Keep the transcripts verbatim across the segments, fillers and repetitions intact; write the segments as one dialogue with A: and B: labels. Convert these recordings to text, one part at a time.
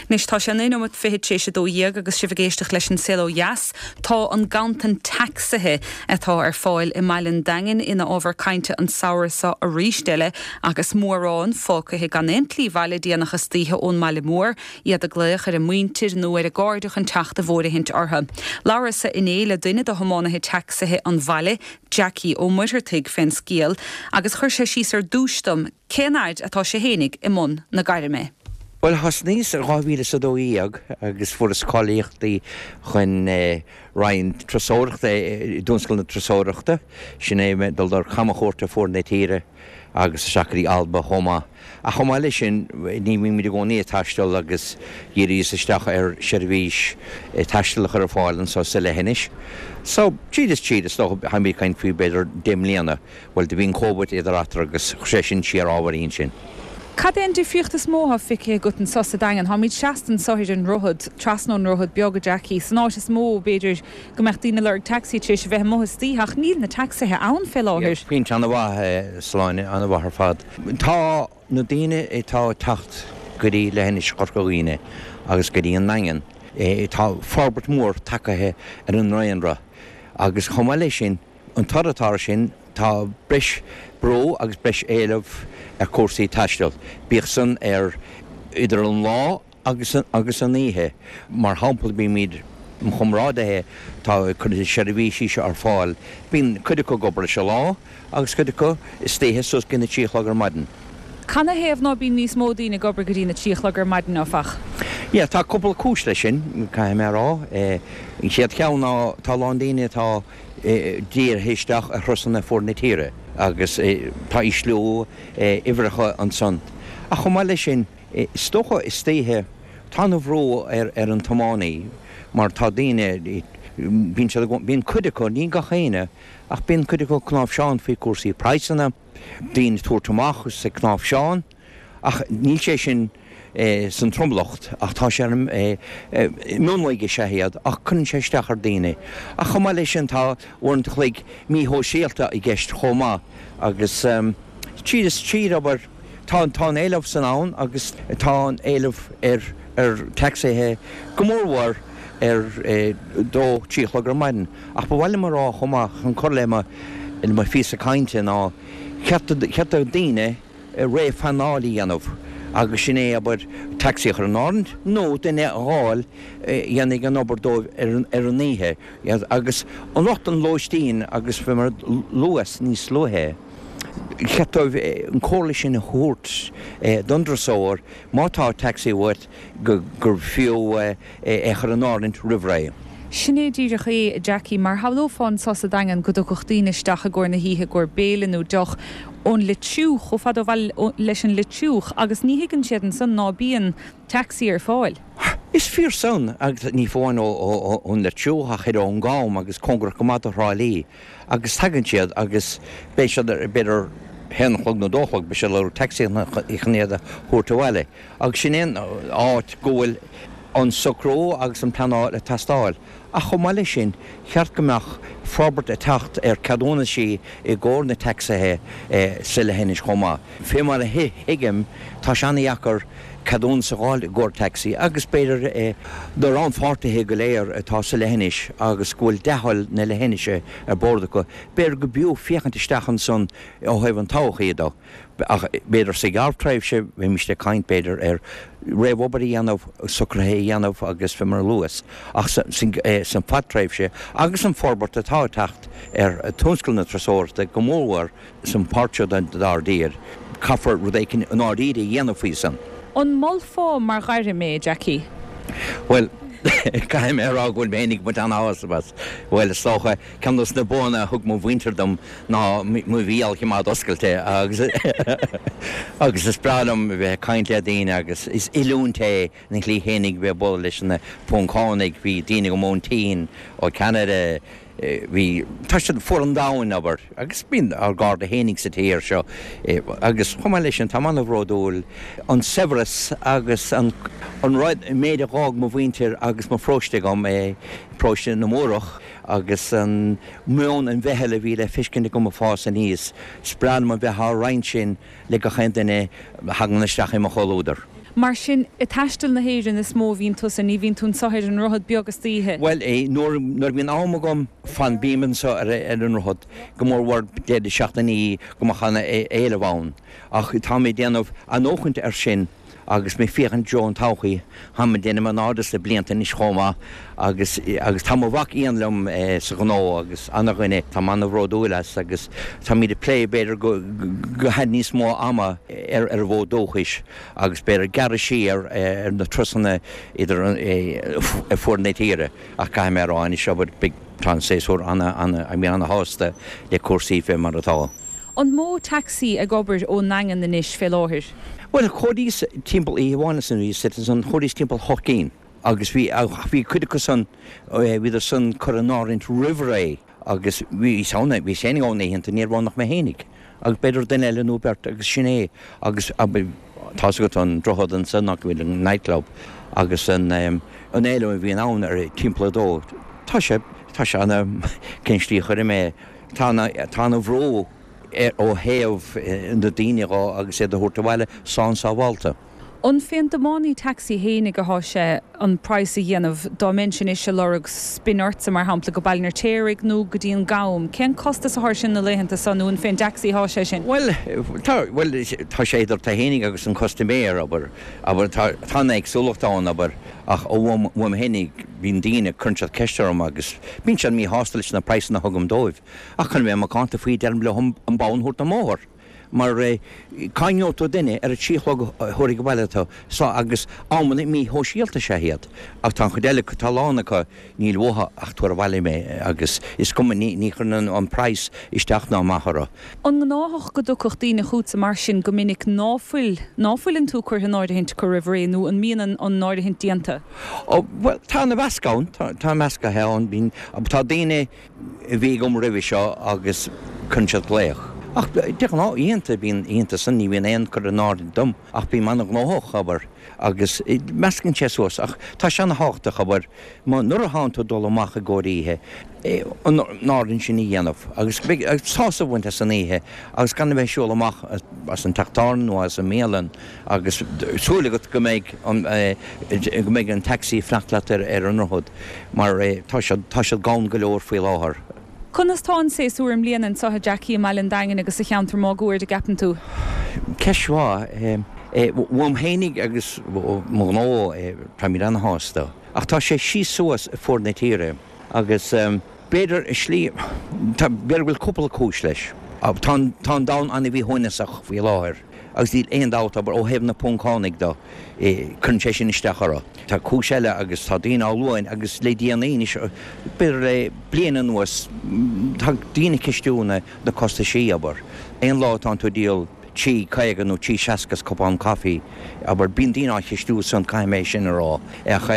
A: Anois tá sé naoi nóiméad fiche tar éis a dó dhéag agus sibh ag éisteacht leis an Saol Ó Dheas, tá an ganntan tacsaithe atá ar fáil i mbaile an Daingin ina ábhar cainte an samhradh seo arís eile agus mórán fágtha gan aon tslí abhaile déanach istoíche ón mbaile mór, iad ag glaoch ar a muintir nó ar a gcairde chun teacht i bhfóirithint orthu. Labhras inné le duine de thiománaithe tacsaithe an bhaile, Jackie Ó Muircheartaigh fén scéal, agus chuir sé síos ar dtús dom cén fhad atá sé fhéinig i mbun na gairme.
B: Well thosnaíos dhá mhíle is a dó dhéag agus fuaireas cáilíochtaí chun eh, roinn turasóireachta i dtionscal na turasóireachta, sin é mé dul ar camchuairt ar fud na tíre agus isteach go dtí Alba chomh maith. Ach chomh maith leis sin ní bhímid i gcónaí ag taisteal agus dhíríos isteach ar seirbhís eh, taistil a chur ar fáil anseo sa leithinis. So tríd is tríd is dócha táimid ag caint faoi b'fhéidir deich mbliana, well do bhí an Covid idir eatarthu agus sé sin siar ábhairín sin.
A: Cad é an difríocht is mó atá feicthe agat anseo sa Daingean, Táimid seasta anseo ar an droichead trasna an droichead beag a Jackie, san áit is mó b'fhéidir go mbeadh daoine ag lorg taxi tar éis a bheith amuigh istoíche ach níl na tacsaithe ann fé láthair.
B: Pointe an-mhaith Sláine an-mhaith ar fad. Tá na daoine atá ag teacht go dtí leithinis Chorca Dhuibhne agus go dtí an Daingean. E, tá forbairt mór tagtha ar an ndaonra agus chomh maith leis sin an toradh atá sin tá breis brú agus breis éileamh ar cúrsaí taistil. Bíodh san ar idir an lá agus an, agus an oíche. Mar shampla bímid chomrádaithe tá chun seirbhísí seo ar fáil. Bíonn cuid acu ag obair sa lá agus cuid acu istoíche suas go na trí a chlog ar maidin.
A: Canathaobh ná bíonn níos mó daoine ag obair go dtí na trí a chlog ar maidin áfach.
B: Ja, tá cúpla cúis leis sin caithfidh mé rá. An chéad cheann ná tá lán daoine atá dírithe isteach ar thurasanna fud na tíre agus tá ísliú uimhreacha ansan. Ach chomh maith leis sin is dócha istoíche tá an brú ar ar an tiománaí mar tá daoine bíonn bíonn cuid acu ní gach éinne ach bíonn cuid acu cnáimhseán faoi cúrsaí praghsanna, daoine tabhairt amach sa cnáimhseán ach níl sé sin eh, san tromlach ach tá sé eh, eh, mionlaigh sé iad ach cuireann sé isteach ar daoine. Ach chomh maith leis sin tá uaireanta an chloig míshóisialta i gceist chomh maith agus um, tríd is tríd obair tá tá an éileamh san ann agus tá an éileamh ar ar tacsaithe go mórmhór ar eh, dó trí chlog ar maidin. Ach ba mhaith liom rá chomh maith chun cur le mo mo phíosa cainte ná cheart daoine réamhphleanáil a dhéanamh agus sin é abair taxi chur in áirithe nó duine a fháil dhéanfaidh an obair dóibh ar an oíche agus an lucht an lóistín agus fé mar luas níos luaithe. Cheart an chomhairle sin a thabhairt don turasóir má tá taxi uait gur fiú é chur in áirithe roimh ré.
A: Sin é díreach é Jackie mar shamhlófá anseo sa Daingean go dtiocfadh daoine isteach i gcomhair na hoíche i gcomhair béile nó deoch ón Leitriúch chomh fada leis an Leitriúch agus ní thuigeann siad ansan ná bíonn taxi ar fáil.
B: Is fíor san agus ní amháin ón Leitriúch ach ar ón gCam agus cóngarach go maith do Thrá Lí agus tagann siad agus beidh siad b'fhéidir haon chlog nó dó chlog beidh siad le taxi chun iad a thabhairt abhaile. Agus sin an áit go bhfuil an socrú agus an pleanáil ag teastáil. Ach chomh maith leis sin cheart go mbeadh forbairt ag teacht ar ceadúnaisí i gcomhair na tacsaithe sa leithinis chomh maith. Fé mar a thuigim tá sé an-deacair ceadúnas a fháil i gcomhair taxi agus b'fhéidir do rannpháirtithe go léir atá sa leithinis agus go bhfuil dea-thoil na leithinise ar bord acu, b'fhéidir go b'fhiú féachaint isteach ansan ó thaobh an todhchaí de. Ach b'fhéidir sa ghearrthréimhse bheimis ag caint b'fhéidir ar réamhobair a dhéanamh socruithe a dhéanamh agus fé mar luas ach san fadtréimhse agus an forbairt atá ag teacht ar tionscal na turasóireachta go mórmhór san pháirt seo dár dtír, caithfear rud éicint i ndáiríre a dhéanamh faoi san.
A: An molfá mar ghairm é Jackie?
B: Well, caithfidh mé rá go bhfuil mé ag baint an-sásamh as. Well is dócha ceann dos na buanna a thug mo mhuintir dom ná mo bhéal a choimeád oscailte agus agus is breá liom bheith ag caint le daoine agus is oiliúint é na shlí fhéinig bheith bualadh leis na Poncánaigh, bhí daoine go Móintín ó Ceanada, bhí tá siad fud an domhain abair agus bíonn ár gcairde fhéinig sa tír seo agus chomh maith leis sin tá an-bhródúil an saibhreas agus an an rud méid a d'fhág mo mhuintir agus mo pharóiste agam é paróiste na Múrach agus an meon an mheithil a bhí le feiscint agam ag fás aníos. Is breá liom a bheith á roinnt sin le gach aon duine a thagann isteach i mo chomhluadar.
A: Mar sin, ag taisteal na hÉireann is mó a bhíonn tusa, ní bhíonn tú anseo ar an Droichead Beag istoíche?
B: Bhuel, nuair nuair a bhíonn am agam, fan, bím anseo ar ar an Droichead, go mór mhór deireadh seachtainí go mbeadh ana éileamh ann. Ach tá mé ag déanamh athnuachaint air sin agus mé ag féachaint i dtreo an todhchaí. Táim ag déanamh an-ard le blianta anois chomh maith agus agus tá mo mhac Ian liom sa ghnó agus ana-dhuine, táim ana-bhródúil as agus táimid ag plé b'fhéidir go gcaithfidh níos mó ama ar ar an bhfód dúchais agus b'fhéidir gearradh siar ar na turasanna idir ar fuaid na tíre ach caithfidh mé a rá anois abair beidh tá an séasúr ana ana bím ana-shásta le cúrsaí fé mar atá.
A: An mó tacsaí ag obair ón nDaingean anois fé láthair?
B: Bhuel, chuaigh timpeall oíche amháin san bhí san chuaigh timpeall hocht gcinn agus bhí bhí cuid acu san bhíodar san curtha in áirithint roimh ré agus bhí ann bhí féinig ann oícheanta ní raibh ann ach mé fhéinig agus b'fhéidir duine eile nó beirt agus sin é agus tá's agat an droichead ansan nach bhfuil an nightclub agus an an éileamh a bhíonn ann ar timpeall a dó tá sé tá sé ana cén slí a chuirfidh mé tá tá ana bhrú ó thaobh na daoine dhó agus iad a thabhairt abhaile slán sábhálta.
A: An fén dtiománaí tacsaí fhéinig athá sé an praghas a dhéanamh dá mbeinnse anois ag lorg spin ortsa mar shampla go Baile an Fheirtéaraigh nó go dtí an Gam? Cén costas athá air sin na laethanta so nó an fén dtacsaí athá sé sin?
B: Bhuel, tá, bhuel, tá sé idir tú fhéinig agus an custaiméir, abair, abair, tá, tá an éagsúlacht ann, abair, ach ó uaim, uaim fhéinig, bíonn daoine, cuireann siad ceist orm agus bíonn siad míshásta leis na praghsanna a thugaim dóibh. Ach chun a bheith macánta faoi, deirim leo an bonn a thabhairt don mbóthar. Mar cá ngeobhaidh tú duine ar a trí a chlog a thabharfaidh abhaile tú so agus amanna míshóisialta is ea iad. Ach tá an chuid eile acu, tá a lán acu, níl uathu ach tabhair abhaile mé agus is cuma, ní ní chuireann an praghas isteach ná amach orthu.
A: An gnáthach go dtiocfadh daoine chugatsa mar sin go minic ná fuil, ná fuileann tú curtha in áirithint acu roimh ré nó an mbíonn an an áirithint déanta?
B: Ó, bhuel, tá ana mheascadh ann, tá tá measctha ann, bíonn, tá daoine a bhí agam roimhe seo agus cuireann siad glaoch. Ach de ghnáth oícheanta, bíonn oícheanta san, ní bhíonn aon cur in áirithint dom ach bím ana-ghnóthach, abair, agus meascann sé suas ach tá sé ana-thábhachtach, abair, má nuair atánn tú ag dul amach i gcomhair oíche, an áirithint sin a dhéanamh agus sásamh a bhaint as an oíche agus gan a bheith ag siúl amach as an teach tábhairne nó as an mbialann agus súil agat go mbeidh an go mbeidh an taxi ag fanacht leat ar ar an ndroichead mar tá siad tá siad gann go leor faoi láthair.
A: Conas tá an séasúr i mbliana anseo a Jackie i mBaile an Daingin agus sa cheantar máguaird a gceapann tú?
B: Ceist mhaith. Uaim fhéinig agus mo ghnó táimid ana-shásta ach tá sé síos suas ar fuaid na tíre agus b'fhéidir i slí, tá, b'fhéidir go bhfuil cúpla cúis leis. Tá an, tá an domhan an-mhíshuaimhneasach faoi láthair agus níl aon dabht, abair, ó thaobh na Poncánaigh de, cuireann sé sin isteach orthu. Tá cúis eile agus tá daoine á lua agus le déanaí anois, b'fhéidir le bliain anuas, tá daoine ag ceistiú na, na costaisí, abair. Aon lá atánn tú ag díol trí caoga nó trí seasca as cupán caife, abair, bíonn daoine á cheistiú san, caithfidh mé sin a rá. Ach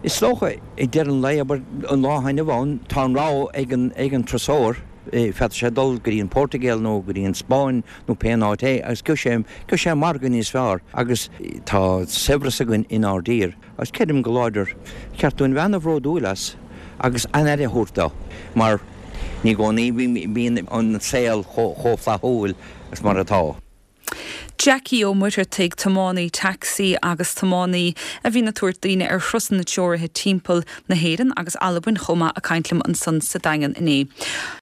B: is dócha, ag deireadh an lae, abair, an lá atá inniu ann, tá an rogha ag an, ag an turasóir, féadfaidh sé dul go dtí an Phortaingéil nó go dtí an Spáinn nó pé an áit é agus gheobhaidh sé, gheobhaidh sé margadh níos fearr agus tá saibhreas againn inár dtír agus creidim go láidir, cheart dúinn bheith ana-bhródúil as agus an-aire a thabhairt dó mar ní i gcónaí bíonn an saol chomh flaithiúil is mar atá.
A: Jackie Ó Muircheartaigh, tiománaí tacsaí agus tiománaí a bhíonn ag tabhairt daoine ar thurasanna treoraithe timpeall na hÉireann agus Albain chomh maith ag caint liom ansan sa Daingean inné.